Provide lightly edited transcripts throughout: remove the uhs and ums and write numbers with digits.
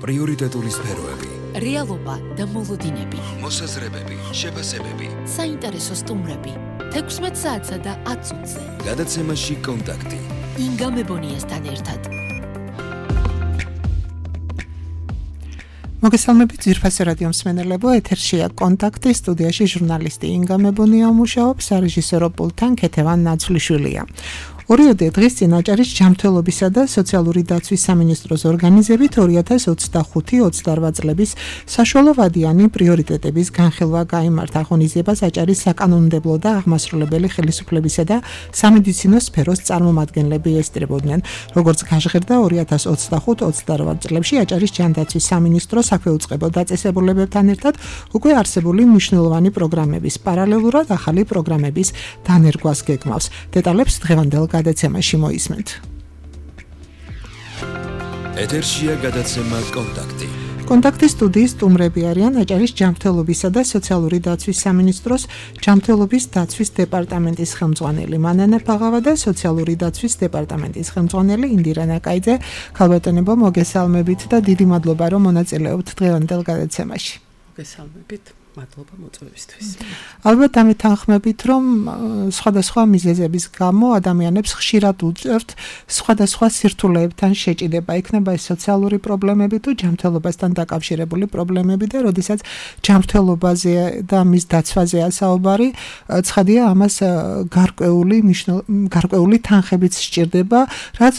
პრიორიტეტული სფეროები, რეალობა და მოლოდინები, მოსაზრებები, შეფასებები, საინტერესო სტუმრები, 16 საათსა და 10 წუთზე. გადაცემაში კონტაქტი. ინგა მებონიასთან ერთად. მოგესალმებით ძვირფასი რადიო მსმენელებო, ეთერშია კონტაქტი, სტუდიაში ჟურნალისტი ინგა მებონია მუშაობს, სარეჟისორო პულტთან ქეთევან ნაცვლიშვილია. ორიოდე დღის წინ აჭარის ჯანმრთელობისა და სოციალური დაცვის სამინისტროს ორგანიზებით 2025-28 წლების საშუალოვადიანი პრიორიტეტების განხილვა გაიმართა. ღონისძიებას აჭარის საკანონმდებლო და აღმასრულებელი ხელისუფლებისა და სამედიცინო სფეროს წარმომადგენლები ესწრებოდნენ. როგორც გაჟღერდა 2025-28 წლებში აჭარის ჯანდაცვის სამინისტრო საქვეუწყებო დაწესებულებებთან ერთად უკვე არსებული მნიშვნელოვანი პროგრამების პარალელურად ახალი პროგრამების დანერგვას გეგმავს. დეტალებს დღევანდელ გადაცემაში მოისმენთ. ეთერშია გადაცემა კონტაქტი. კონტაქტის სტუდიის სტუმრები არიან აჭარის ჯანმრთელობისა და სოციალური დაცვის სამინისტროს ჯანმრთელობის დაცვის დეპარტამენტის ხელმძღვანელი მანანე ფაღავა და სოციალური დაცვის დეპარტამენტის ხელმძღვანელი ინდირა ნაკაიძე. ქალბატონებო, მოგესალმებით და დიდი მადლობა რომ მონაწილეობთ დღევანდელ გადაცემაში. მოგესალმებით. მადლობა მოწვევისთვის. ალბათ ამით თანხმებით, რომ სხვადასხვა მიზეზების გამო ადამიანებს ხშირად უწევთ სხვადასხვა სირთულეებთან შეჭიდება, იქნება ეს სოციალური პრობლემები თუ ჯანმრთელობასთან დაკავშირებული პრობლემები და როდესაც ჯანმრთელობაზე და მის დაცვაზეა საუბარი, ცხადია ამას გარკვეული თანხებიც სჭირდება, რაც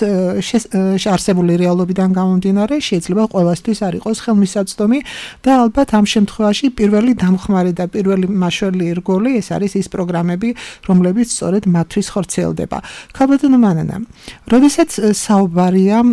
არსებული რეალობიდან გამომდინარე შეიძლება ყველასთვის არ იყოს ხელმისაწვდომი და ალბათ ამ შემთხვევაში პირველი დამხმარე და პირველი მაშველი რგოლი ეს არის ის პროგრამები, რომლებიც სწორედ მათთვის ხორციელდება. ქალბატონო მანანა, როდესაც საუბარია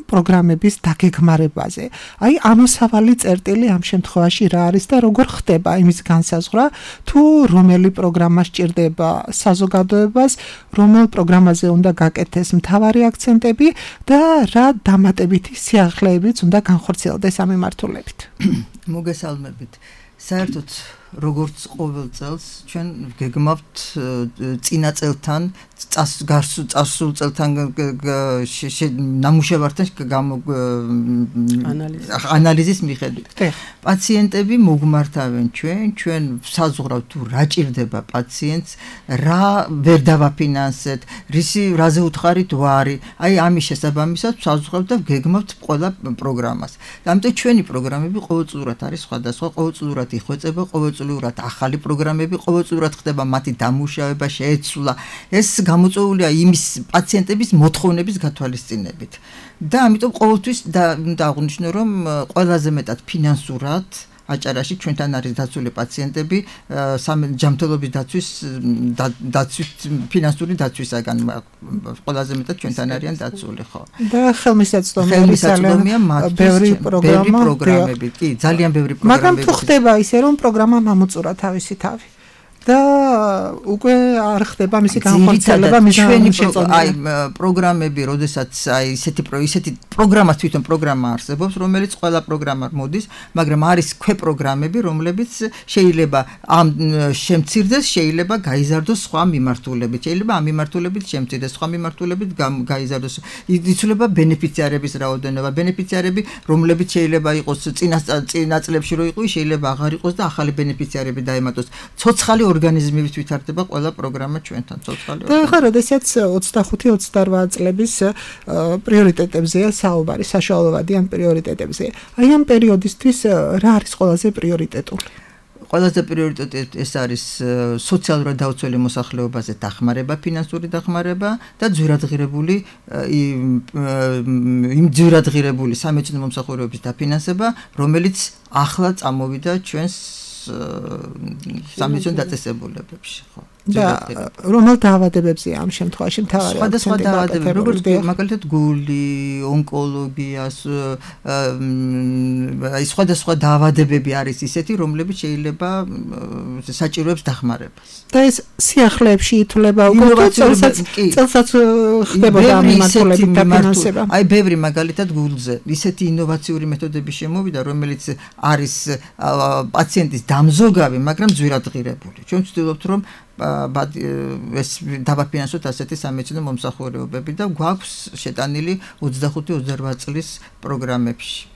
პროგრამების დაგეგმარებაზე, აი ამოსავალი წერტილი ამ შემთხვევაში რა არის და როგორ ხდება იმის განსაზღვრა, თუ რომელი პროგრამა სჭირდება საზოგადოებას, რომელ პროგრამაზე უნდა გაკეთდეს მთავარი აქცენტები და რა დამატებითი სიახლეებიც უნდა განხორციელდეს ამ მიმართულებით. მოგესალმებით. საერთოდ როგორც ყოველ წელს ჩვენ გეგმავთ წინა წელთან წარსულ წელთან ნამუშევართან ანალიზის მიხედვით. პაციენტები მოგმართავენ ჩვენ საზღვრავთ თუ რა ჭირდება პაციენტს, რა ვერ დავაფინანსეთ, რაზე უთხარით ვარი. აი ამის შესაბამისად საზღვრავთ და გეგმავთ ყველა პროგრამას. ამიტომ ჩვენი პროგრამები ყოველწლიურად არის სხვადასხვა, ყოველწლიურად იხვეწება, ყოველწლიურად ახალი პროგრამები, ყოველწლიურად ხდება მათი დამუშავება, შეეცვლა. ეს გამოწვეულია იმის პაციენტების მოთხოვნების გათვალისწინებით. და ამიტომ ყოველთვის უნდა აღვნიშნო, რომ ყველაზე მეტად ფინანსურად აჭარაში ჩვენთან არის დაცული პაციენტები ჯანმრთელობის დაცვის ფინანსური დაცვისაგან ყველაზე მეტად ჩვენთან არიან დაცული, ხო? და ხელმისაწვდომია ბევრი პროგრამები, კი, ძალიან ბევრი პროგრამები. მაგრამ თუ ხდება ისე, რომ პროგრამა ამოწურა თავისი თავი და უკვე არ ხდება მისი განხორციელება, აი პროგრამები, როდესაც აი ისეთი პროგრამას თვითონ პროგრამა არსებობს, რომელიც ყველა პროგრამა მოდის, მაგრამ არის ქვეპროგრამები, რომლებიც შეიძლება ამ შემცირდეს, შეიძლება გაიზარდოს სხვა მიმართულებით, შეიძლება ამ მიმართულებით შემცირდეს, სხვა მიმართულებით გაიზარდოს. იცვლება ბენეფიციარების რაოდენობა, ბენეფიციარები, რომლებიც შეიძლება იყოს წინა წლებში რო იყო, შეიძლება აღარ იყოს და ახალი ბენეფიციარები დაემატოს. ცოცხალი ორგანიზმებით ვითარდება ყველა პროგრამა ჩვენთან ცოცხალი. და ახლა როდესაც 25-28 წლების პრიორიტეტებზეა საუბარი, საშუალოვადიან პრიორიტეტებზე. აი ამ პერიოდისთვის რა არის ყველაზე პრიორიტეტული? ყველაზე პრიორიტეტი ეს არის სოციალურად დაუცველი მოსახლეობაზე დახმარება, ფინანსური დახმარება და ძვირადღირებული სამედიცინო მომსახურების დაფინანსება, რომელიც ახლა წამოვიდა ჩვენს სამედიცინო დაწესებულებებში, ხო? და რომელ დაავადებებზეა ამ შემთხვევაში მთავარი სხვადასხვა დაავადებები, როგორც მაგალითად გული, ონკოლოგიას, აი სხვადასხვა დაავადებები არის ისეთი, რომლებიც შეიძლება საჭიროებს დახმარებას. და ეს სიახლეებში ითვლება უკვე წელსაც ხდებოდა ამ მიმართულებით დაფინანსება. აი ბევრი მაგალითად გულზე ისეთი ინოვაციური მეთოდები შემოვიდა, რომელიც არის პაციენტის დამზოგავი, მაგრამ ძვირადღირებული. ჩვენ ვცდილობთ, რომ ეს დავაფინანსოთ ასეთი სამედიცინო მომსახურებები და გვაქვს შეტანილი 25-28 წლის პროგრამებში.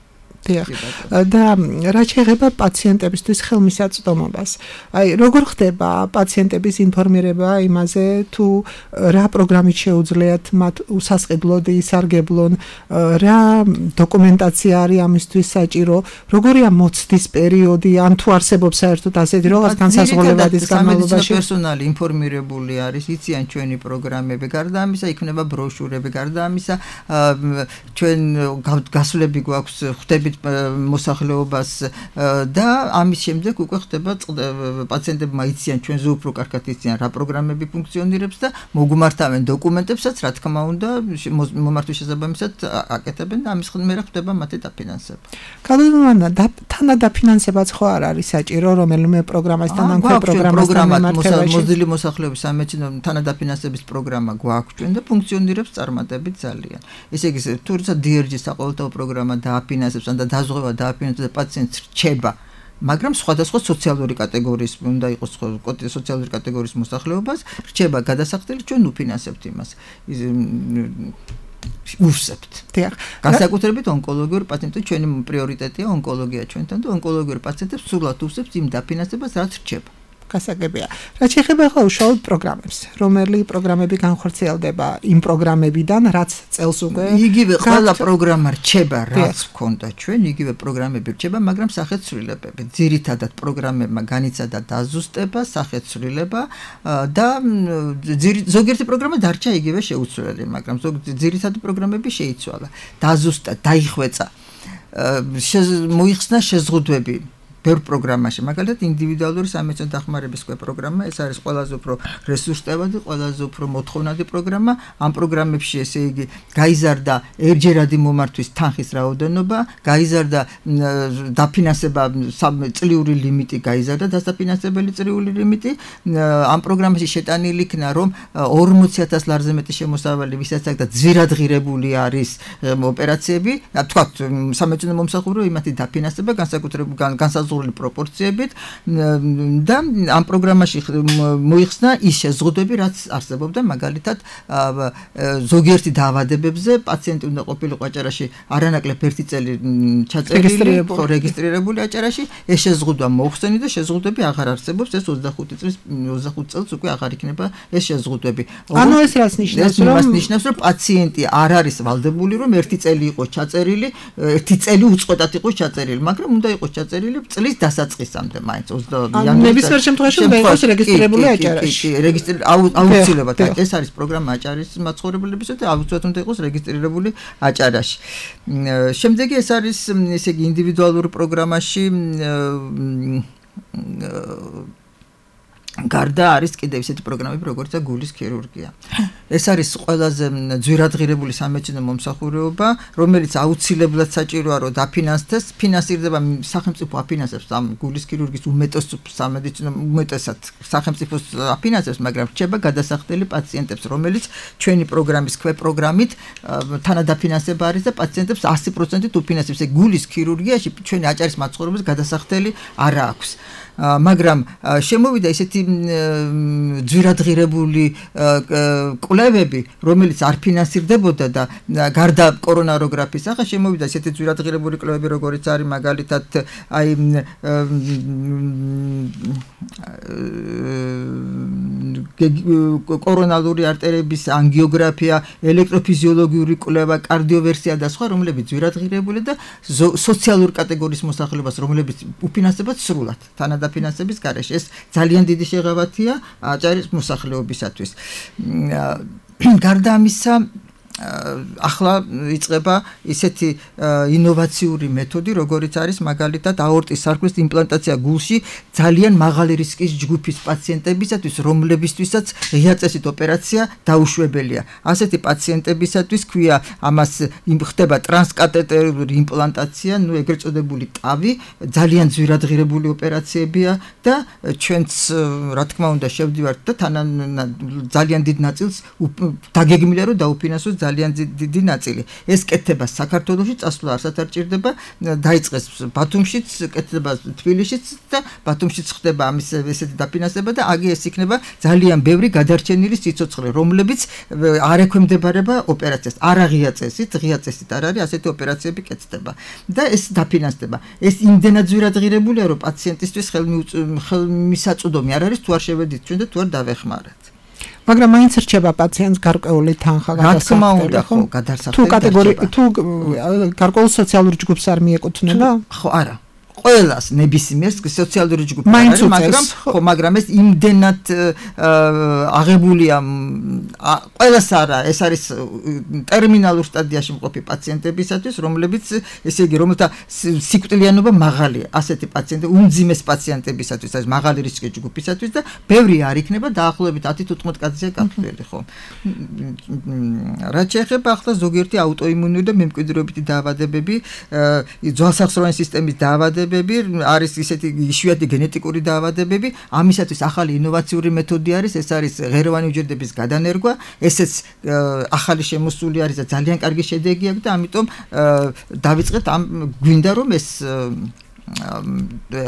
და რაც შეეხება პაციენტებისთვის ხელმისაწვდომობას. აი, როგორ ხდება პაციენტების ინფორმირება იმაზე, თუ რა პროგრამით შეუძლიათ მათ უსასყიდლოდ ისარგებლონ, რა დოკუმენტაცია არის ამისთვის საჭირო, როგორია მოცდის პერიოდი, ან თუ არსებობს საერთოდ ასეთი რაღაც განსაზღვრავების განმავლობაში. პერსონალი ინფორმირებული არის, იციან ჩვენი პროგრამები, გარდა ამისა იქნება ბროშურები, გარდა ამისა ჩვენ გასვლები გვაქვს, ხვდებით მოსახლეობას და ამის შემდეგ უკვე ხდება პაციენტებმა იციან ჩვენზე უფრო კარგად იციან რა პროგრამები ფუნქციონირებს და მოგმართავენ დოკუმენტებსაც, რა თქმა უნდა, მომართვის შესაბამისად აკეთებენ და ამის მერე ხდება მათი დაფინანსება. კადროვანა თანადაფინანსებაც ხო არ არის საჭირო რომელიმე პროგრამასთან ან ქვე პროგრამასთან მიმართებაში? მოზრდილი მოსახლეობის სამეცნიერო თანადაფინანსების პროგრამა გვაქვს ჩვენ და ფუნქციონირებს წარმატებით ძალიან. ესე იგი, თუმცა DRG-ის საყოველთაო პროგრამა დააფინანსებს ან და დაზღვევა დააფინანსებს და პაციენტს რჩება, მაგრამ სხვადასხვა სოციალური კატეგორიის უნდა იყოს სოციალური კატეგორიის მოსახლეობას რჩება გადასახდელი, ჩვენ უფინანსებთ იმას. უსწრებთ. განსაკუთრებით ონკოლოგიურ პაციენტებს ჩვენი პრიორიტეტია ონკოლოგია ჩვენთან და ონკოლოგიურ პაციენტებს სრულად უსწრებთ იმ დაფინანსებას, რაც რჩება. გასაგებია. რაც შეეხება ახლა უშუალოდ პროგრამებს, რომელი პროგრამები განხორციელდება იმ პროგრამებიდან, რაც წელს უკვე იგივე ყველა პროგრამა რჩება, რაც ჰქონდა ჩვენ, იგივე პროგრამები რჩება, მაგრამ სახეცვლილებები. ძირითადად პროგრამებმა განიცადა დაზუსტება, სახეცვლილება და ზოგიერთი პროგრამა დარჩა იგივე შეუცვლელი, მაგრამ ძირითადი პროგრამები შეიცვალა. დაზუსტა, დაიხვეწა, მოიხსნა შეზღუდვები. ბევრ პროგრამაში, მაგალითად ინდივიდუალური სამეცნიერო დახმარების პროგრამა, ეს არის ყველაზე უფრო რესურსტევადი, ყველაზე უფრო მოთხოვნადი პროგრამა. ამ პროგრამებში, ესე იგი, გაიზარდა ერთჯერადი მომართვის თანხის რაოდენობა, გაიზარდა დაფინანსება, წლიური ლიმიტი გაიზარდა, დასაფინანსებელი წლიური ლიმიტი. ამ პროგრამაში შეტანილი იქნა, რომ 40,000 ლარზე მეტი შემოსავალი, ვისაც აქვს და ძვირადღირებული არის ოპერაციები, თქვათ, სამეცნიერო მომსახურე იმათი დაფინანსება განსაზღვრული პროპორციებით და ამ პროგრამაში მოიხსნა ის შეზღუდვები, რაც არსებობდა, მაგალითად ზოგიერთი დაავადებებზე პაციენტი უნდა ყოფილიყო აჭარაში არანაკლებ 1 წელი ჩაწერილი, რეგისტრირებული აჭარაში, ეს შეზღუდვა მოხსნი და შეზღუდვები აღარ არსებობს, ეს 25 წელს უკვე აღარ იქნება ეს შეზღუდვები. ანუ ეს რას ნიშნავს, რომ პაციენტი არ არის ვალდებული, რომ 1 წელი იყოს ჩაწერილი, 1 წელი უწყვეტად იყოს ჩაწერილი, მაგრამ უნდა იყოს ჩაწერილი წლის დასაწყისამდე მაინც 20 იანვარში. ნებისმიერ შემთხვევაში უნდა იყოს რეგისტრირებული აჭარაში. აუცილებლად ეს არის პროგრამა აჭარის მაცხოვრებლებისა და აუცილებლად უნდა იყოს რეგისტრირებული აჭარაში. შემდეგი ეს არის, ესე იგი, ინდივიდუალურ პროგრამაში გარდა არის კიდევ ისეთი პროგრამები, როგორიცაა გულის ქირურგია. ეს არის ყველაზე ძვირადღირებული სამეცნიერო მომსახურეობა, რომელიც აუცილებლად საჭიროა, რომ დაფინანსდეს, ფინანსირდება სახელმწიფო აფინანსებს ამ გულის ქირურგიის უმეტესად სახელმწიფოს აფინანსებს, მაგრამ რჩება გადასახდელი პაციენტებს, რომელიც ჩვენი პროგრამის პროგრამით თანადაფინანსება არის და პაციენტებს 100%-ით უფინანსებს. გულის ქირურგიაში ჩვენი აჭარის მაცხოვრებელს გადასახდელი არ აქვს. მაგრამ შემოვიდა ისეთი ძვირადღირებული კვლევები, რომელიც არ ფინანსირდებოდა და გარდა კორონაროგრაფიის, ახლა შემოვიდა ისეთი ძვირადღირებული კვლევები, როგორიც არის მაგალითად აი კორონალური არტერების ანგიოგრაფია, ელექტროფიზიოლოგიური კვლევა, კარდიოვერსია და სხვა, რომლებიც ძვირადღირებული და სოციალურ კატეგორიის მოსახლეობას, რომლებიც უფინანსებად სრულად თანადაფინანსების გარეშე. ეს ძალიან დიდი შეღავათია აჭარის მოსახლეობისათვის. გარდა ამისა, ახლა იწყება ისეთი ინოვაციური მეთოდი, როგორიც არის მაგალითად აორტის სარკმლის იმპლანტაცია გულში ძალიან მაღალი რისკის ჯგუფის პაციენტებისათვის, რომლებისთვისაც ღია წესით ოპერაცია დაუშვებელია. ასეთი პაციენტებისათვის ქვია ამას ხდება ტრანსკატეტერული იმპლანტაცია, ეგრეთ წოდებული ტავი, ძალიან ძვირადღირებული ოპერაციებია და ჩვენც რა თქმა უნდა შევდივართ და ძალიან დიდ ნაწილს დაგეგმილია, რომ დაუფინანსოს ძალიან დიდი ნაწილი. ეს კეთდება საქართველოში, წასვლა არცად არ ჭირდება, დაიწყეს ბათუმშიც, კეთდება თბილისშიც და ბათუმშიც ხდება ამის ესეთი დაფინანსება და აგი ეს იქნება ძალიან ბევრი გადარჩენილი სიცოცხლე, რომლებიც არ ექვემდებარება ოპერაციას. არა ღია წესით, ღია წესით არ არის, ასეთი ოპერაციები კეთდება და ეს დაფინანსდება. ეს იმდენად ძვირადღირებულია, რომ პაციენტისთვის ხელმისაწვდომი არ არის, თუ არ შევედით ჩვენ და თუ არ დავეხმაროთ. მაგრამ მაინც რჩება პაციენტს გარკვეული თანხა გადასახდელი. რა თქმა უნდა, ხო, გადასახდელი. თუ კატეგორია, თუ გარკვეულ სოციალურ ჯგუფს არ მიეკუთვნება? ხო, არა. ყველას ნებისმიერს სოციალური ჯგუფი არის, მაგრამ ეს იმდენად აღებულია ყველას არა, ეს არის ტერმინალურ სტადიაში მყოფი პაციენტებისათვის, რომლებიც ესე იგი რომელთა სიკვდილიანობა მაღალია, ასეთი პაციენტები, უმძიმეს პაციენტებისათვის, ეს მაღალი რისკის ჯგუფისათვის და ბევრი არ იქნება დაახლოებით 10-15 კაცია გათვლილი, ხო. რაც შეეხება ახლა ზოგიერთი აუტოიმუნური და მემკვიდრეობითი დაავადებები, ძვალსახსროვანი სისტემის დაავადებები არის ისეთი იშვიათი გენეტიკური დაავადებები, ამისათვის ახალი ინოვაციური მეთოდი არის, ეს არის ღეროვანი უჯრედების გადანერგვა, ესეც ახალი შემოსული არის და ძალიან კარგი შედეგი აქვს და ამიტომ დავიწყეთ ამ გვინდა რომ ეს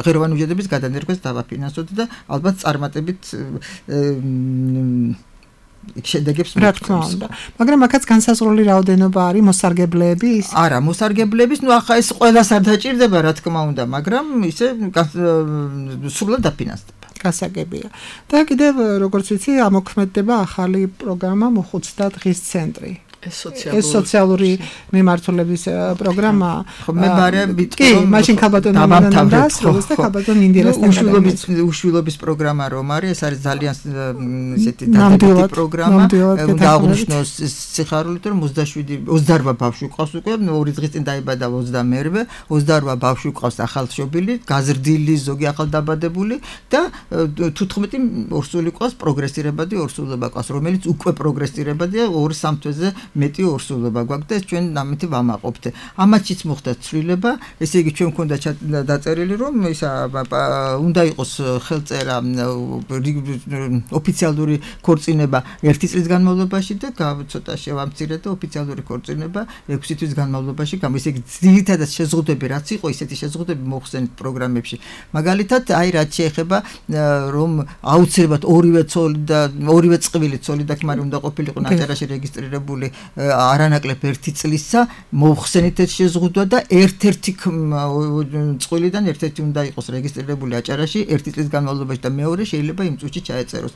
ღეროვანი უჯრედების გადანერგვას დავაფინანსოთ და ალბათ წარმატებით შედეგებს მოგწევს. მაგრამ აქაც განსაზღვრული რაოდენობა არის მოსარგებლეების? არა, მოსარგებლეების, ნუ ახლა ეს ყველას არ დაჭირდება, რა თქმა უნდა, მაგრამ ისე სრულად დაფინანსდება. გასაგებია. და კიდევ როგორც ვიცი, ამოქმედდება ახალი პროგრამა მოხუცთა დღის ცენტრი. ეს სოციალური მიმართულების პროგრამა. ხო, მე ბარები კი, მაშინ ქალბატონი მანანდას და ქალბატონი ინდირასთან უშვილობის პროგრამა რომ არის, ეს არის ძალიან ისეთი დადებითი პროგრამა. უნდა აღნიშნოს სიხარულით რომ 28 ბავშვი ყავს უკვე, ორი დღის წინ დაიბადა 22-ე, 28 ბავშვი ყავს ახალშობილი, გაზრდილი, ზოგი ახალდაბადებული და 15 ორსული ყავს პროგრესირებადი ორსულობა ყავს, რომელიც უკვე პროგრესირებადია 2-3 თვეზე მეტი ორსულობა გვაქვს და ჩვენ ამით ვამაყობთ. ამათშიც მოხდა ცვლილება, ესე იგი ჩვენ მქონდა დაწერილი რომ ისა უნდა იყოს ხელწერა ოფიციალური ქორწინება 1 წლის განმავლობაში და ცოტა შევამცირე და ოფიციალური ქორწინება 6 თვის განმავლობაში. ესე იგი ძირითადად შეზღუდვები რაც იყო, ისეთი შეზღუდვები მოხსენით პროგრამებში. მაგალითად, აი რაც შეეხება რომ აუცილებლად ორივე ცოლი და ორივე წყვილი ცოლი და ქმარი უნდა ყოფილიყო ნაჭერაში რეგისტრირებული არანაკლებ 1 წლისა მოხსენით ეს შეზღუდვა და ერთ-ერთი წყვილიდან ერთ-ერთი უნდა იყოს რეგისტრირებული აჭარაში 1 წლის განმავლობაში და მეორე შეიძლება იმ წუთში ჩაეწეროს.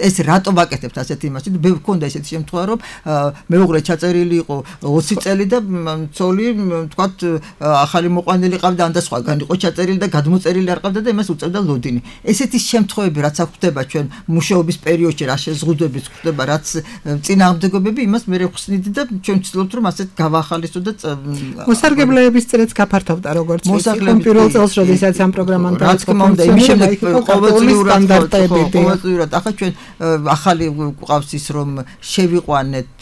ეს რატო ვაკეთებთ ასეთი იმაში? მქონდა ესეთი შემთხვევა რომ მეუღლე ჩაწერილი იყო 20 წელი და ცოლი თქვათ ახალი მოყვანილი ყავდა ან და სხვაგან იყო ჩაწერილი და გადმოწერილი არ ყავდა და იმას უწევდა ლოდინი. ესეთი შემთხვევები რაც ხდება ჩვენ მუშაობის პერიოდში, რა შეზღუდვები ხდება, რაც წინააღმდეგობები იმას მე ვხსნით და ჩვენ ვცდილობთ რომ ასეთ გავახალისო და მოსარგებლეების წრეც გაფართოვდა როგორც ვიცი პირველ წელს როდესაც ამ პროგრამამ დაიწყო იმის შემდეგ ყოველწლიურად ახლა ჩვენ ახალი ყავს ის რომ შევიყვანეთ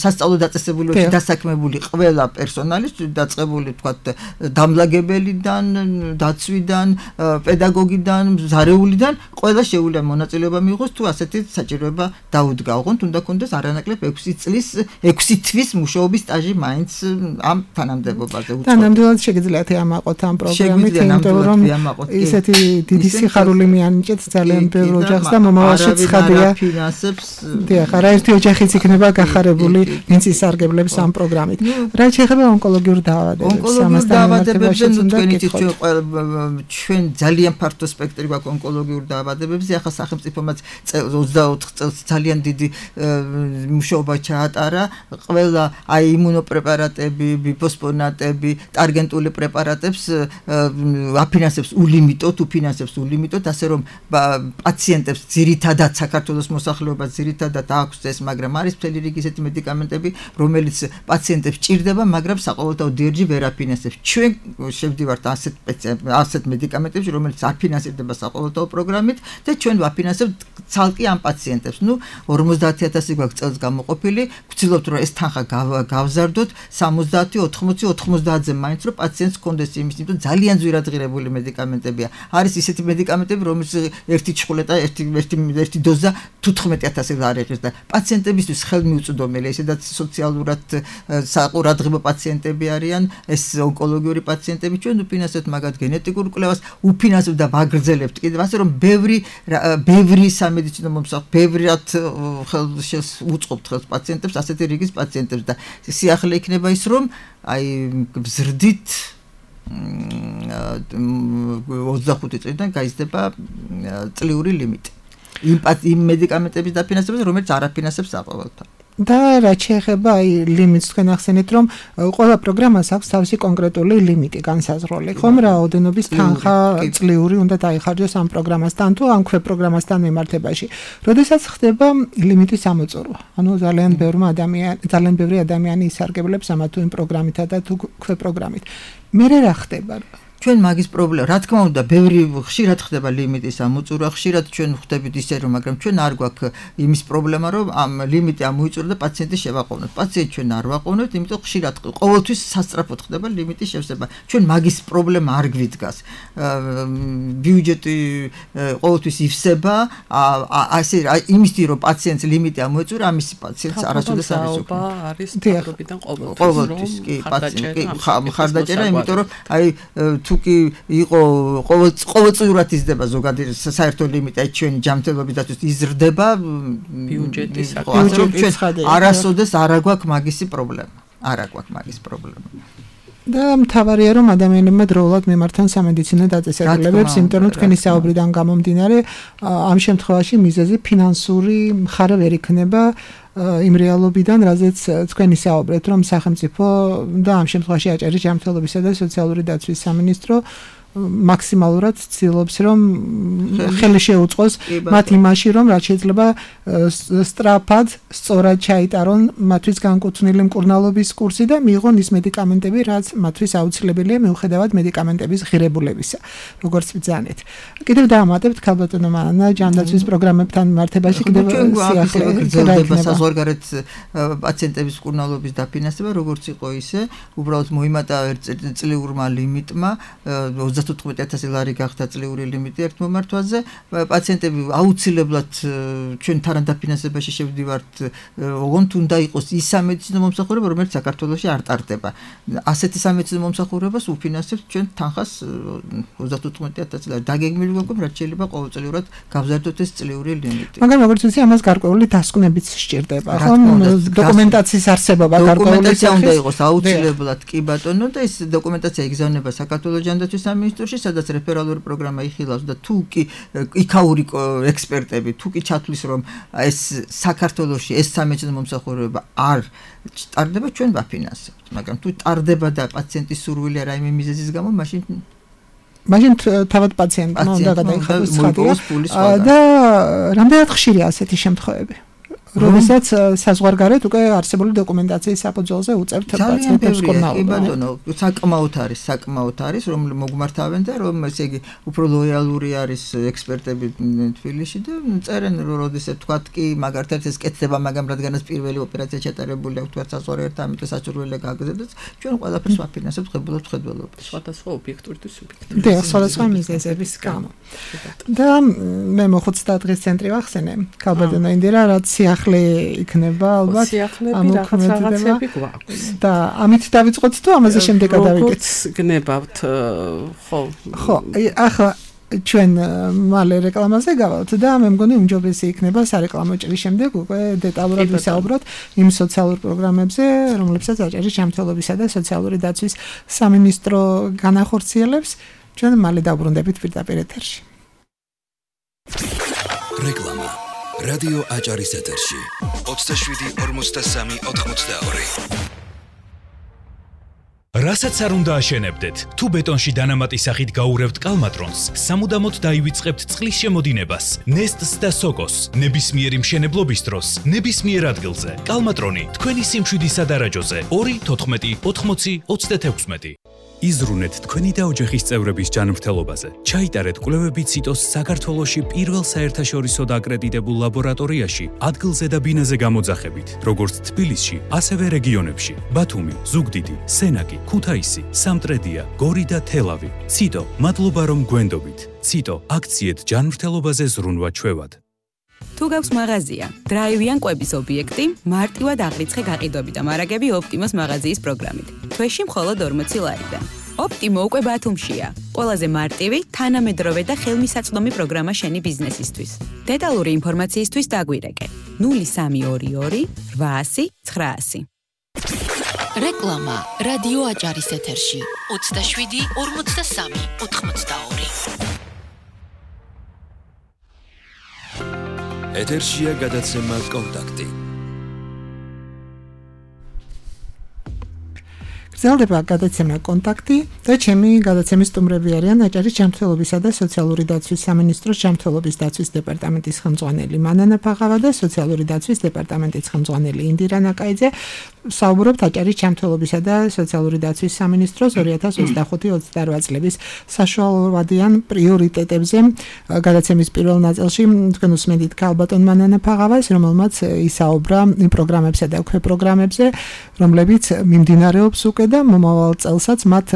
სასწავლო დაწესებულებაში დასაქმებული ყველა პერსონალი დაწყებული თქვათ დამლაგებელიდან, დაცვიდან, პედაგოგიდან, ზარეულიდან ყველა შეუძლია მონაწილეობა მიიღოს თუ ასეთი საჭიროება დაუდგა. ოღონდ უნდა კონდეს არანაკლებ 6 თვის მუშაობის სტაჟი მაინც ამ თანამდებობაზე უწევთ. და ნამდვილად შეგიძლიათ ამაყოთ ამ პროგრამით, იმიტომ რომ ისეთი დიდი სიხარული მიანიჭეთ ძალიან ბევრ ოჯახს და მომავალში ცხადია. დიახ, არაერთი ოჯახიც იქნება გახარებული, ვინც ისარგებლებს ამ პროგრამით. რაც შეეხება ონკოლოგიურ დაავადებებს, ამასთან დაავადებებზე თქვენ იცით ჩვენ ძალიან ფართო სპექტრი გვაქვს ონკოლოგიურ დაავადებებზე. ახლა სახელმწიფომაც 24 წელს ძალიან დიდი მუშაობა ჩაატარა. ყველა აი იმუნოპრეპარატები, ბიფოსფონატები, ტარგენტული პრეპარატებს აფინანსებს ულიმიტოდ, უფინანსებს ულიმიტოდ, ასე რომ პაციენტებს ძირითადად საქართველოს მოსახლეობას ძირითადად აქვს ეს, მაგრამ არის მთელი რიგი ისეთი მედიკამენტები, რომელიც პაციენტებს ჭირდება, მაგრამ საყოველთაო დერჯი ვერ აფინანსებს. ჩვენ შევდივართ ასეთ მედიკამენტებში, რომელიც არ ფინანსირდება საყოველთაო პროგრამით და ჩვენ ვაფინანსებთ ცალკე ამ პაციენტებს. ნუ 50,000 გვაქვს წელს გამოყოფილი, ვცდილობთ რომ ეს თანხა გავზარდოთ 70, 80, 90-ზე მაინც რომ პაციენტს კონდეს იმის, იმიტომ ძალიან ძვირადღირებული მედიკამენტებია. არის ისეთი მედიკამენტები, რომელიც ერთი ჩხულეტა, ერთი დოზა 15,000 არ იღებს და პაციენტებისთვის ხელმიუწვდომელია, ისედაც სოციალურად საყურადღებო პაციენტები არიან, ეს ონკოლოგიური პაციენტები, ჩვენ უფინანსებთ მაგათ გენეტიკურ კვლევას, უფინანსებთ და ვაგრძელებთ კიდევ ასე რომ ბევრი სამედიცინო მომსახურე, ბევრად უწყობთ ხელს პაციენტებს, ასეთი რიგის პაციენტებს და სიახლე იქნება ის რომ აი გზრდით 25 წლიდან გაიზრდება წლიური ლიმიტი. იმ მედიკამენტების დაფინანსებას, რომელიც არ აფინანსებს საყოველთაოდ. და რაც შეეხება აი ლიმიტს თქვენ ახსენეთ რომ ყველა პროგრამას აქვს თავისი კონკრეტული ლიმიტი განსაზღვრული ხომ რაოდენობის თანხა წლიური უნდა დაიხარჯოს ამ პროგრამასთან თუ ამ ქვეპროგრამასთან მიმართებაში როდესაც ხდება ლიმიტის ამოწურვა ანუ ძალიან ბევრი ადამიანი ისარგებლებს ამა თუ იმ პროგრამითა და თუ ქვეპროგრამით მე რა ხდება ჩვენ მაგის პრობლემა, რა თქმა უნდა, ბევრი ხშირად ხდება ლიმიტის ამოწურვა, ხშირად ჩვენ ხვდებით ისე რომ, მაგრამ ჩვენ არ გვაქვს იმის პრობლემა, რომ ამ ლიმიტი ამოიწურა და პაციენტი შევაყოვნოთ. პაციენტი ჩვენ არ ვაყოვნოთ, იმიტომ ხშირად ყოველთვის სასწრაფოდ ხდება ლიმიტის შევსება. ჩვენ მაგის პრობლემა არ გვიდგას. ბიუჯეტი ყოველთვის ივსება, ასე იმისთვის რომ პაციენტს ლიმიტი ამოეწურა, ამის პაციენტს არასოდეს არ იზოგება. არის თავრობიდან ყოველთვის კი პაციენტი ხარდაჭერა, იმიტომ რომ აი თუკი იყო ყოველწლიურად იზრდება ზოგადი საერთო ლიმიტი აი ჩვენი ჯანმრთელობისათვის იზრდება ბიუჯეტის არასოდეს არ აგვაქვს მაგისი პრობლემა. და მთავარია რომ ადამიანებმა დროულად მიმართან სამედიცინო დაწესებულებებს, იმიტომ რომ თქვენი საუბრიდან გამომდინარე ამ შემთხვევაში მიზეზი ფინანსური მხარე ვერ იქნება იმ რეალობიდან, რაზეც თქვენ ისაუბრეთ, რომ სახელმწიფო და ამ შემთხვევაში აჭარის ჯანმრთელობისა და სოციალური დაცვის სამინისტრო მაქსიმალურად ცდილობს რომ ხელი შეუწყოს მათ იმაში რომ რაც შეიძლება სწრაფად სწორად ჩაიტარონ მათთვის განკუთვნილი მკურნალობის კურსი და მიიღონ ის მედიკამენტები რაც მათთვის აუცილებელია მიუხედავად მედიკამენტების ღირებულებისა როგორც ბრძანეთ კიდევ დაამატებთ ქალბატონო მანანა ჯანდაცვის პროგრამებთან მიმართებაში კიდევ სიახლე გრძელდება საზღვარგარეთ პაციენტების მკურნალობის დაფინანსება როგორც იყო ისე უბრალოდ მოიმატა წლიურმა ლიმიტმა 15,000 ლარი გახდა წლიური ლიმიტი ერთ მომართვაზე პაციენტები აუცილებლად ჩვენ თანადაფინანსებაში შევდივართ ოღონდ უნდა იყოს ის სამედიცინო მომსახურება რომელიც საქართველოში არ ტარდება ასეთი სამედიცინო მომსახურებას უფინანსებთ ჩვენ თანხას 35,000 ლარი დაგეგმილი გვაქვს რაც შეიძლება ყოველწლიურად გავზარდოთ ეს წლიური ლიმიტი მაგრამ როგორც ვიცი ამას გარკვეული დასკვნებიც სჭირდება ხომ დოკუმენტაციის არსებობა გარკვეული დოკუმენტაცია უნდა იყოს აუცილებლად კი ბატონო და ეს დოკუმენტაცია იგზავნება საქართველოს ჯანდაცვის სამინისტროში სადაც რეფერალური პროგრამა იხილავს და თუ კი იქაური ექსპერტები თუ კი ჩათვლის რომ ეს საქართველოში ეს სამედიცინო მომსახურება არ ტარდება ჩვენ ვაფინანსებთ მაგრამ თუ ტარდება და პაციენტის სურვილი რაიმე მიზეზის გამო მაშინ თავად პაციენტმა უნდა გადაიხადოს ცხადია და რამდენად ხშირია ასეთი შემთხვევები როდესაც საზღვარგარეთ უკვე არსებული დოკუმენტაციის საფუძველზე უწევთ პაციენტებს მკურნალობას. საკმაოდ არის, რომ მოგმართავენ და რომ ესე იგი უფრო ლოიალური არის ექსპერტები თბილისში და წერენ რომ როდესაც თქვათ კი მაგალითად ეს კეთდება, მაგრამ რადგანაც პირველი ოპერაცია ჩატარებული აქვს თქვათ საზღვარგარეთ, ამიტომ საჭიროა გაგზავნოს, ჩვენ ყველაფერს ვაფინანსებთ ხებულობთ. სხვადასხვა ობიექტური თუ სუბიექტური. და სხვადასხვა მიზეზების გამო. და მე მოხუცთა დღის ცენტრი ვახსენე, ქალბატონო ინდირა, რაც იქნება ალბათ ამ რაღაცები გვაქვს და ამით დავიწყოთ თუ ამაზე შემდეგ გადავიდეთ გნებავთ ხო ახლა ჩვენ მალე რეკლამაზე გავალთ და მე მგონი უმჯობესი იქნება სარეკლამო ჭრის შემდეგ უკვე დეტალურად ვისაუბროთ იმ სოციალურ პროგრამებზე რომლებსაც აჭარის ჯანმრთელობისა და სოციალური დაცვის სამინისტრო განახორციელებს ჩვენ მალე დავბრუნდებით პირდაპირ ეთერში რეკლამა რადიო აჭარის ეთერში 27 რასაც არ უნდა აშენებდეთ თუ ბეტონში დანამატის სახით გაურევთ კალმატრონს სამუდამოდ დაივიწყებთ წყლის შემოდინებას ნესტს და სოკოს ნებისმიერი მშენებლობის დროს ნებისმიერ ადგილზე კალმატრონი თქვენი სიმშვიდის სადარაჯოზე 2 14 80 36 იზრუნეთ თქვენი და ოჯახის წევრების ჯანმრთელობაზე. ჩაიტარეთ კვლევები ციტოს საქართველოში პირველ საერთაშორისო აკრედიტებულ ლაბორატორიაში ადგილზე და ბინაზე გამოძახებით, როგორც თბილისში, ასევე რეგიონებში: ბათუმი, ზუგდიდი, სენაკი, ქუთაისი, სამტრედია, გორი და თელავი. ციტო, მადლობა რომ გვენდობით. ციტო, აქციეთ ჯანმრთელობაზე ზრუნვა ჩვევად. თუ გაქვს მაღაზია, დრაივიან კვების ობიექტი, მარტივად აღრიცხე გაყიდვები და მარაგები ოპტიმოს მაღაზიის პროგრამით. თვეში მხოლოდ 40 ლარიდან. ოპტიმო უკვე ბათუმშია. ყველაზე მარტივი, თანამედროვე და ხელმისაწვდომი პროგრამა შენი ბიზნესისთვის. დეტალური ინფორმაციისთვის დაგვირეკე 0322 800 900. რეკლამა რადიო აჭარის ეთერში 27 43 82. ეთერშია გადაცემა კონტაქტი. გრძელდება გადაცემა კონტაქტი და ჩემი გადაცემის სტუმრები არიან აჭარის ჯანმრთელობისა და სოციალური დაცვის სამინისტროს ჯანმრთელობის დაცვის დეპარტამენტის ხელმძღვანელი მანანა ფაღავა და სოციალური დაცვის დეპარტამენტის ხელმძღვანელი ინდირა ნაკაიძე. საუბრობთ აჭარის ჯანმრთელობისა და სოციალური დაცვის სამინისტროს 2025-28 წლების საშუალოვადიან პრიორიტეტებზე. გადაცემის პირველ ნაწილში თქვენ უსმენთ ქალბატონ მანანა ფაღავას, რომელმაც ისაუბრა იმ პროგრამებსა და უქმე პროგრამებზე, რომლებიც მიმდინარეობს უკვე და მომავალ წელსაც მათ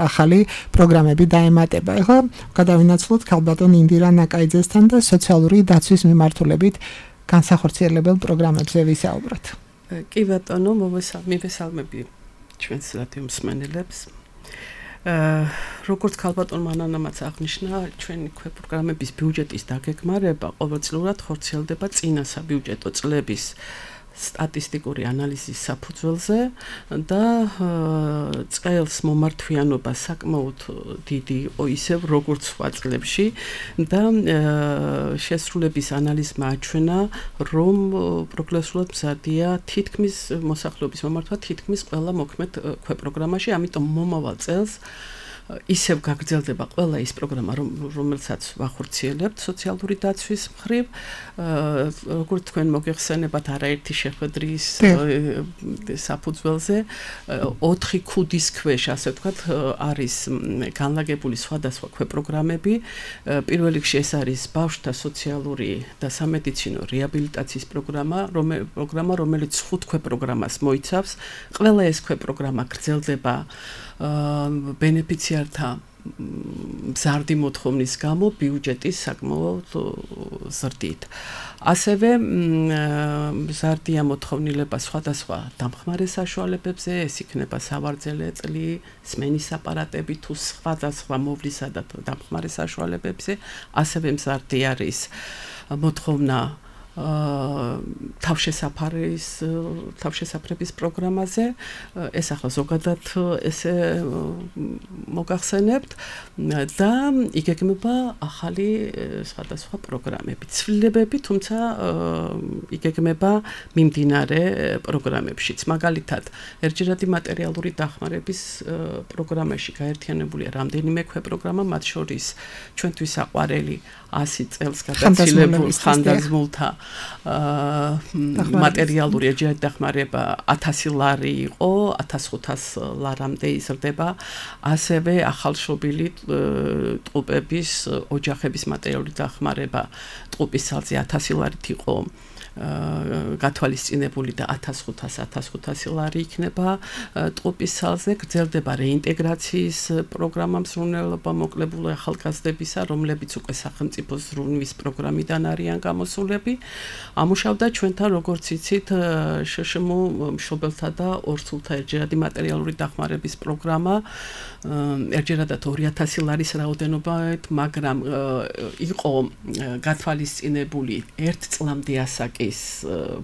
ახალი პროგრამები დაემატება. ეხლა გადავინაცვლოთ ქალბატონ ინდირა ნაკაიძესთან და სოციალური დაცვის მიმართულებით განსახორციელებელ პროგრამებზე ვისაუბროთ. კი ბატონო, მივესალმები ჩვენს რადიო მსმენელებს. როგორც ქალბატონ მანანამაც აღნიშნა, ჩვენი პროგრამების ბიუჯეტის დაგეგმარება ყოველწლიურად ხორციელდება წინა საბიუჯეტო წლების სტატისტიკური ანალიზის საფუძველზე და წელს მომართვიანობა საკმაოდ დიდი იყო ისევ როგორც სხვა წლებში და შესრულების ანალიზმა აჩვენა, რომ პროგრესულად მზადია თითქმის მოსახლეობის მომართვა თითქმის ყველა მოქმედ ქვეპროგრამაში, ამიტომ მომავალ წელს ისევ გაგრძელდება ყველა ის პროგრამა, რომელსაც ვახორციელებთ სოციალური დაცვის მხრივ, როგორც თქვენ მოგეხსენებათ არაერთი შეხვედრის საფუძველზე 4 ქუდის ქვეშ, ასე ვთქვათ, არის განლაგებული სხვადასხვა ქვეპროგრამები. პირველ რიგში ეს არის ბავშვთა სოციალური და სამედიცინო რეაბილიტაციის პროგრამა, რომელიც 5 ქვეპროგრამას მოიცავს. ყველა ეს ქვეპროგრამა გრძელდება ბენეფიციართა მზარდი მოთხოვნის გამო ბიუჯეტის საკმაოდ ზრდით. ასევე მზარდია მოთხოვნილება სხვადასხვა დამხმარე საშუალებებზე, ეს იქნება სავარძელე წლი, სმენის აპარატები თუ სხვადასხვა მოვლისა და დამხმარე საშუალებებზე, ასევე მზარდი არის მოთხოვნა თავშესაფრების პროგრამაზე. ეს ახლა ზოგადად ესე მოგახსენებთ და იგეგმება ახალი სხვადასხვა პროგრამები, ცვლილებები, თუმცა იგეგმება მიმდინარე პროგრამებშიც. მაგალითად, ერთჯერადი მატერიალური დახმარების პროგრამაში გაერთიანებულია რამდენიმე ქვეპროგრამა, მათ შორის ჩვენთვის საყვარელი 100 წელს გადაცილებულ ხანდაზმულთა მატერიალური ერთჯერადი დახმარება 1000 ლარი იყო, 1500 ლარამდე იზრდება. ასევე ახალშობილი ტყუპების ოჯახების მატერიალური დახმარება ტყუპის ძალზე 1000 ლარით იყო გათვალისწინებული და 1500 ლარი იქნება ტყუპის ძალზე. გრძელდება რეინტეგრაციის პროგრამა მსრულნელობა მოკლებულო ახალგაზრდებისა, რომლებიც უკვე სახელმწიფო ზრუნვის პროგრამიდან არიან გამოსულები. ამუშავდა ჩვენთან, როგორც იცით, შშმ მშობელთა და ორსულთა ერთჯერადი მატერიალური დახმარების პროგრამა, ერთჯერადად 2000 ლარის რაოდენობით, მაგრამ იყო გათვალისწინებული 1 წლამდე ასაკის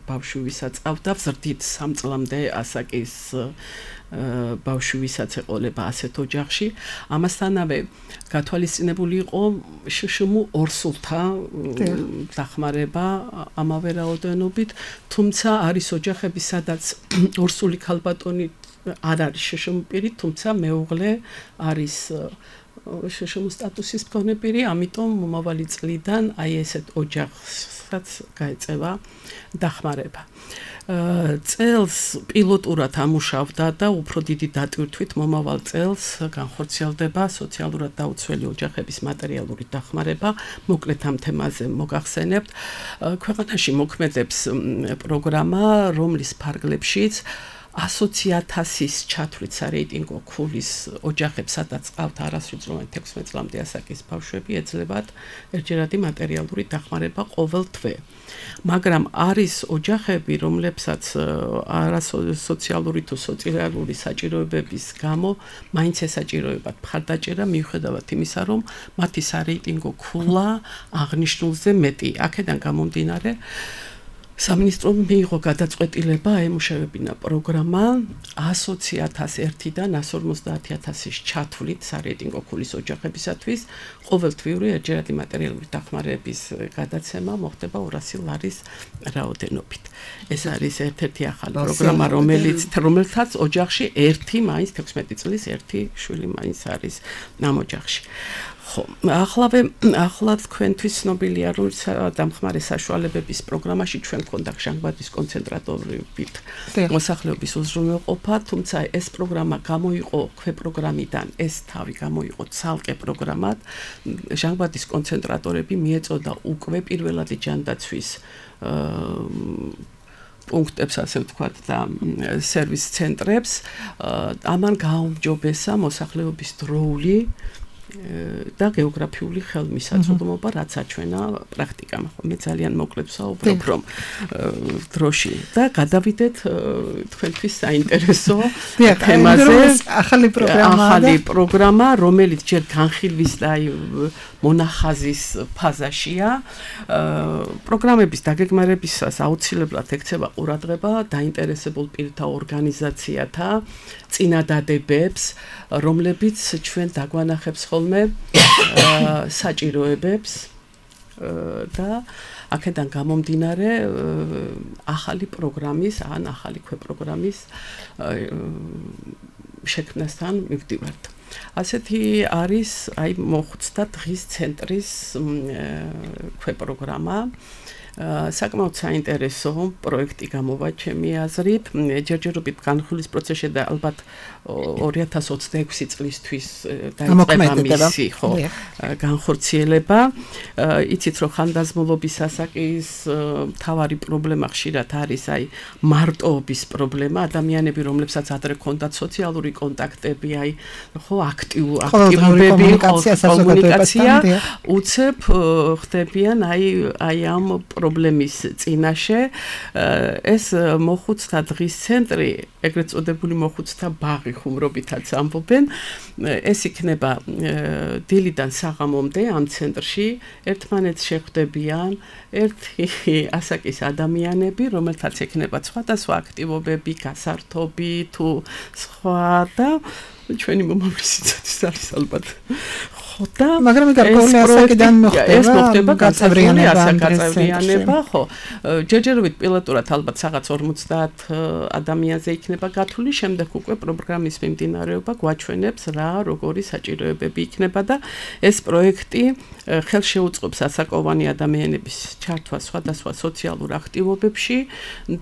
ბავშვი, ვისაც ყავდა, ზრდით 3 წლამდე ასაკის ბავშვი, ვისაც ეყოლება ასეთ ოჯახში. ამასთანავე გათვალისწინებული იყო შშმ ორსულთა დახმარება ამავე რაოდენობით, თუმცა არის ოჯახები, სადაც ორსული ქალბატონი არ არის შშმ პირი, თუმცა მეუღლე არის შშმ სტატუსის მქონე პირი, ამიტომ მომავალი წლიდან აი ესეთ ოჯახს მართლაც გაეწევა დახმარება. წელს პილოტურად ამუშავდა და უფრო დიდი დატვირთვით მომავალ წელს განხორციელდება სოციალურად დაუცველი ოჯახების მატერიალური დახმარება. მოკლედ ამ თემაზე მოგახსენებთ. ქვეყანაში მოქმედებს პროგრამა, რომლის ფარგლებშიც 100,000-ის ჩათვლით სარეიტინგო ქულის ოჯახებს, სადაც ყავთ არასრულწლოვანი 16 წლამდე ასაკის ბავშვები, ეძლებათ ერთჯერადი მატერიალური დახმარება ყოველ თვე. მაგრამ არის ოჯახები, რომლებსაც არასოციალური თუ სოციალური საჭიროებების გამო მაინც ესაჭიროებათ მხარდაჭერა, მიუხედავად იმისა, რომ მათი სარეიტინგო ქულა აღნიშნულზე მეტი. აქედან გამომდინარე სამინისტრომ მიიღო გადაწყვეტილება აემუშავებინა პროგრამა 120,001-დან 150,000-ის ჩათვლით სარეიტინგო ქულის ოჯახებისათვის ყოველთვიური ერთჯერადი მატერიალური დახმარების გადაცემა მოხდება 200 ლარის რაოდენობით. ეს არის ერთ-ერთი ახალი პროგრამა, რომელთაც ოჯახში ერთი მაინც 16 წლის ერთი შვილი მაინც არის ამ ოჯახში. ხო, ახლა თქვენთვის ცნობილია, რომ დამხმარე საშუალებების პროგრამაში ჩვენ გვქონდა ჟანგბადის კონცენტრატორებით მოსახლეობის უზრუნველყოფა, თუმცა ეს პროგრამა გამოიყო ქვეპროგრამიდან, ეს თავი გამოიყო ცალკე პროგრამად. ჟანგბადის კონცენტრატორები მიეწოდა უკვე პირველადი ჯანდაცვის პუნქტებს, ასე ვთქვათ, და სერვის ცენტრებს. ამან გააუმჯობესა მოსახლეობის დროული და გეოგრაფიული ხელმისაწვდომობა, რაც აჩვენა პრაქტიკამ. მე ძალიან მოკლედ ვსაუბრობ, რომ დროში და გადავიდეთ თქვენთვის საინტერესო თემაზე. ახალი პროგრამა, რომელიც ჯერ განხილვის და მონახაზის ფაზაშია. პროგრამების დაგეგმარებისას აუცილებლად ექცევა ყურადღება დაინტერესებულ პირთა ორგანიზაციათა წინადადებებს, რომლებიც ჩვენ დაგვანახებს ხოლმე საჭიროებებს და აქედან გამომდინარე ახალი პროგრამის ან ახალი ქვეპროგრამის შექმნასთან მივდივართ. ასეთი არის მოხუცთა დღის ცენტრის ქვეპროგრამა. საკმაოდ საინტერესო პროექტი გამოვა ჩემი აზრით. ჯერჯერობით განხილვის პროცესში და ალბათ 2026 წლისთვის დაიწყება მისი განხორციელება. იცით, რომ ხანდაზმულობის ასაკის მთავარი პრობლემა ხშირად არის მარტოობის პრობლემა. ადამიანები, რომლებსაც ადრე ჰქონდათ სოციალური კონტაქტები, აქტიურობები, კომუნიკაცია, უცებ ხდებიან ამ პრობლემის წინაშე. ეს მოხუცთა დღის ცენტრი, ეგრეთ წოდებული მოხუცთა ბაღი ხუმრობითაც ამბობენ, ეს იქნება დილიდან საღამომდე ამ ცენტრში. ერთმანეთს შეხვდებიან ერთი ასაკის ადამიანები, რომელთაც ექნება სხვადასხვა აქტივობები, გასართობი თუ სხვა და ჩვენი მომავლისიც არის ალბათ. და მაგრამ გარკვეული ასაკიდან მოხდება გაწევრიანება, ხო. ჯერჯერობით პილოტურად ალბათ რაღაც 50 ადამიანზე იქნება გათვლილი, შემდეგ უკვე პროგრამის მიმდინარეობა გვაჩვენებს რა როგორი საჭიროებები იქნება და ეს პროექტი ხელს შეუწყობს ასაკოვანი ადამიანების ჩართვას სხვადასხვა სოციალურ აქტივობებში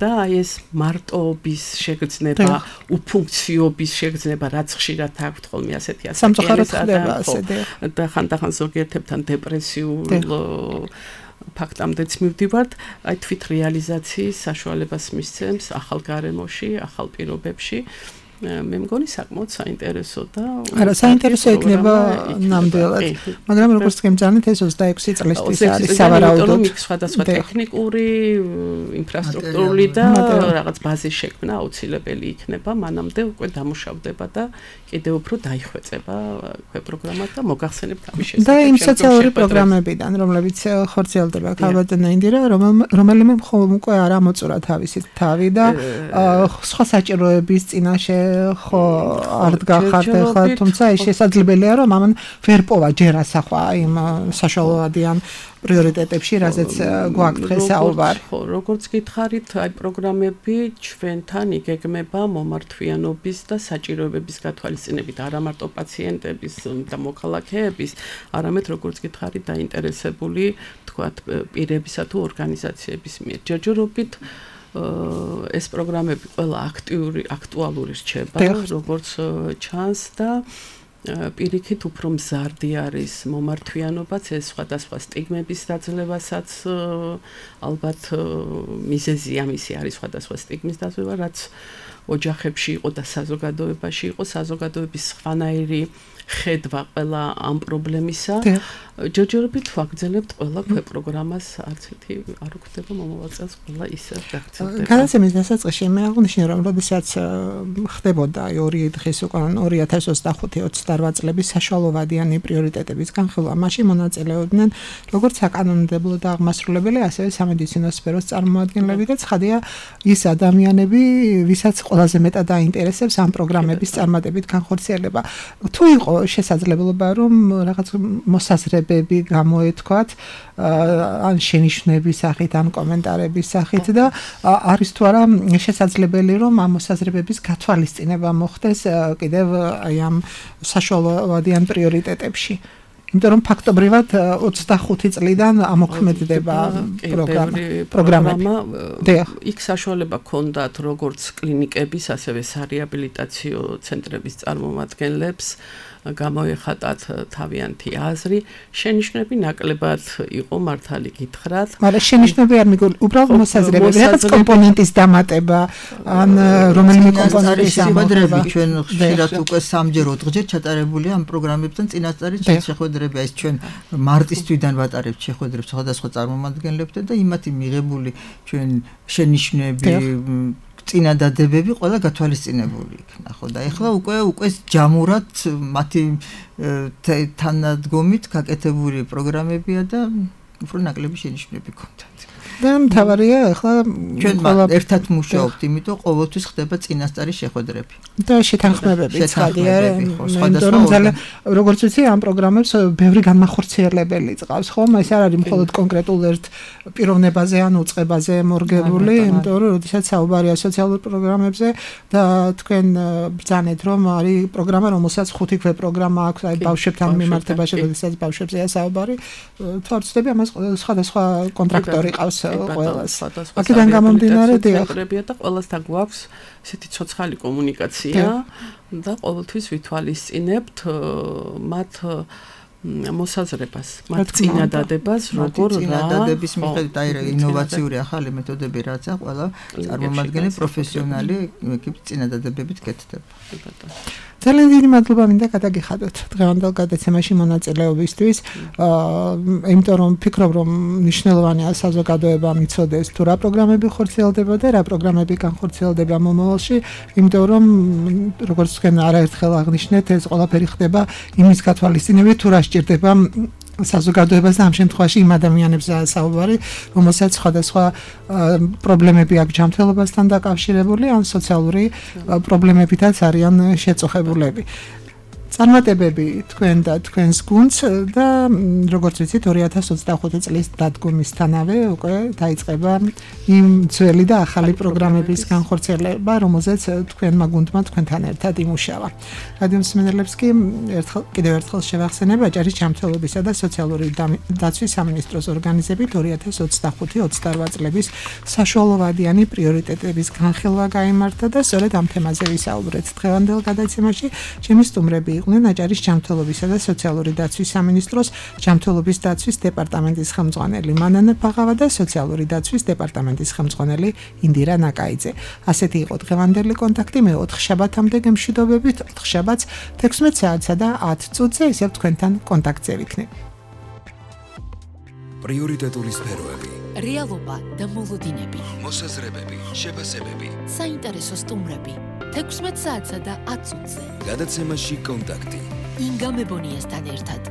და ეს მარტოობის შეგრძნება, უფუნქციობის შეგრძნება, რაც ხშირად აქვთ ხოლმე ასეთი ასაკის და ხანდახან ზოგიერთებთან დეპრესიულ ფაქტამდეც მივდივართ. თვით რეალიზაციის საშუალებას მისცემს ახალ გარემოში, ახალ პირობებში. მე მგონი საკმაოდ საინტერესო და არა საინტერესო იქნება ნამდვილად. მაგრამ როგორც გემძანეთ, ეს 26 წლისთვის არის სავარაუდოდ. სხვადასხვა ტექნიკური, ინფრასტრუქტურული და რაღაც ბაზის შექმნა აუცილებელი იქნება. მანამდე უკვე დამუშავდება და კიდევ უფრო დაიხვეწება პროგრამა და მოგახსენებთ ამის შესახებ. და იმ სოციალური პროგრამებიდან, რომლებიც ხორციელდება ქალბატონო ინდირა, რომელიმე მხოლოდ უკვე არ ამოწურა თავისი თავი და სხვა საჭიროების წინაშე ხო არ დგახართ ახლა, თუმცა ის შესაძლებელია რომ ამან ვერ პოვა ჯერ ასახვა იმ საშუალოვადიან პრიორიტეტებში, რაზეც გვაქვს დღეს საუბარი. ხო, როგორც გითხარით, აი პროგრამები ჩვენთან იგეგმება მომართვიანობის და საჭიროებების გათვალისწინებით, არა მარტო პაციენტების და მოქალაქეების, არამედ როგორც გითხარით, დაინტერესებული, თქვათ, პირებისა თუ ორგანიზაციების მიერ. ჯერჯერობით ეს პროგრამები ყველა აქტუალური რჩება, როგორც ჩანს და პირიქით უფრო მზარდი არის მომართვიანობაც, ეს სხვადასხვა სტიგმების დაძლევასაც ალბათ მიზეზია მისი არის სხვადასხვა სტიგმის დაძლევა, რაც ოჯახებში იყო და საზოგადოებაში იყო, საზოგადოების სხვანაირი ხედვა ყველა ამ პრობლემისა. ჯერჯერობით ვაგრძელებთ ყველა პროგრამას, არც ერთი არ გვხვდება მომავალ წელს ყველა ისე გაგრძელდება. გადაცემის დასაწყისში მე აღნიშნე რომ როდესაც ხდებოდა 2 დღის უკვე 2025-28 წლების საშუალოვადიანი პრიორიტეტების განხილვა, მაშინ მონაწილეობდნენ როგორც საკანონმდებლო და აღმასრულებელი, ასევე სამედიცინო სფეროს წარმომადგენლები და ცხადია ის ადამიანები, ვისაც ყველაზე მეტად აინტერესებს ამ პროგრამების წარმატებით განხორციელება. თუ იყო შესაძლებლობა რომ რაღაც მოსაზრებები გამოეთქვათ ან შენიშვნების სახით ან კომენტარების სახით და არის თუ არა შესაძლებელი რომ ამ მოსაზრებების გათვალისწინება მოხდეს კიდევ აი ამ საშუალოვადიან პრიორიტეტებში. იმიტომ რომ ფაქტობრივად 25 წლიდან ამოქმედდება პროგრამები. იქ საშუალება ჰქონდათ როგორც კლინიკების, ასევე სარეაბილიტაციო ცენტრების წარმომადგენლებს გამოეხატათ თავიანთი აზრი, შენიშვნები ნაკლებად იყო მართალი გითხრათ. მაგრამ შენიშვნები არ მიგული, უბრალოდ მოსაზრებები, რაღაც კომპონენტის დამატება, ან რომელიმე კომპონენტის შეხვედრები ჩვენ ხშირად უკვე 3-ჯერ 4-ჯერ ჩატარებულია ამ პროგრამებთან წინასწარი შეხვედრები, ეს ჩვენ მარტის თვიდან ვატარებთ შეხვედრებს სხვადასხვა წარმომადგენლებთან და იმათი მიღებული ჩვენ შენიშვნები წინადადებები ყველა გათვალისწინებული იქნა, ხო და ეხლა უკვე ჯამურად მათი თანადგომით გაკეთებული პროგრამებია და უფრო ნაკლები შენიშვნები ჰქონდათ. და მთავარია ეხლა ჩვენ ერთად მუშაობთ, იმიტომ ყოველთვის ხდება წინასწარი შეხვედრები. და შეთანხმებები ცხადია, იმიტომ რომ როგორც ვიცი, ამ პროგრამებს ბევრი განმახორციელებელი წავს, ხო? ეს არ არის მხოლოდ კონკრეტულ ერთ პიროვნებაზე ან უწყებაზე მორგებული, იმიტომ რომ როდესაც საუბარია სოციალურ პროგრამებზე და თქვენ ბრძანეთ, რომ არის პროგრამა, რომელსაც 5 ქვე პროგრამა აქვს, აი ბავშვებთან მიმართებაში, როდესაც ბავშვებზეა საუბარი, თუ არ ვცდები, ამას სხვადასხვა კონტრაქტორი ყავს ყველას. აქედან გამომდინარე ცენტრებია და ყველასთან გვაქვს ესეთი ცოცხალი კომუნიკაცია და ყოველთვის ვითვალისწინებთ მათ მოსაზრებას, მათ წინადადებას, როგორ წინადადების მიხედვით აი ინოვაციური ახალი მეთოდები რაც აქვს, ყველა წარმომადგენელი პროფესიონალი იქ წინადადებებით კეთდება. ძალიან დიდი მადლობა მინდა გადაგიხადოთ დღევანდელ გადაცემაში მონაწილეობისთვის. იმიტომ რომ ვფიქრობ რომ მნიშვნელოვანია საზოგადოება მიცოდეს თუ რა პროგრამები ხორციელდება და რა პროგრამები განხორციელდება მომავალში, იმიტომ რომ როგორც თქვენ არაერთხელ აღნიშნეთ, ეს ყველაფერი ხდება იმის გათვალისწინებით თუ რა სჭირდება საზოგადოებას და ამ შემთხვევაში იმ ადამიანებზეა საუბარი, რომელსაც სხვადასხვა პრობლემები აქვს ჯანმრთელობასთან დაკავშირებული ან სოციალური პრობლემებითაც არიან შეწუხებულები. წარმატებები თქვენ და თქვენს გუნდს და როგორც ვიცით 2025 წლის დადგომისთანავე უკვე დაიწყება იმ ძველი და ახალი პროგრამების განხორციელება, რომელზეც თქვენმა გუნდმა თქვენთან ერთად იმუშავა. რადიო მსმენელებს კი კიდევ ერთხელ შევახსენებ აჭარის ჯანმრთელობისა და სოციალური დაცვის სამინისტროს ორგანიზებით 2025-28 წლების საშუალოვადიანი პრიორიტეტების განხილვა გაიმართა და სწორედ ამ თემაზე ვისაუბრეთ დღევანდელ გადაცემაში. ჩემი სტუმრები იყვნენ აჭარის ჯანმრთელობისა და სოციალური დაცვის სამინისტროს ჯანმრთელობის დაცვის დეპარტამენტის ხელმძღვანელი მანანა ფაღავა და სოციალური დაცვის დეპარტამენტის ხელმძღვანელი ინდირა ნაკაიძე. ასეთი იყო დღევანდელი კონტაქტი, მე 4 შაბათამდე გემშვიდობებით, 4 შაბათს 16 საათსა და 10 წუთზე ისევ თქვენთან კონტაქტზე ვიქნებ. პრიორიტეტული სფეროები, რეალობა და მოლოდინები, მოსაზრებები, შეფასებები, საინტერესო სტუმრები 16 საათსა და 10 წუთზე. გადაცემაში კონტაქტი. ინგა მებონიასთან ერთად.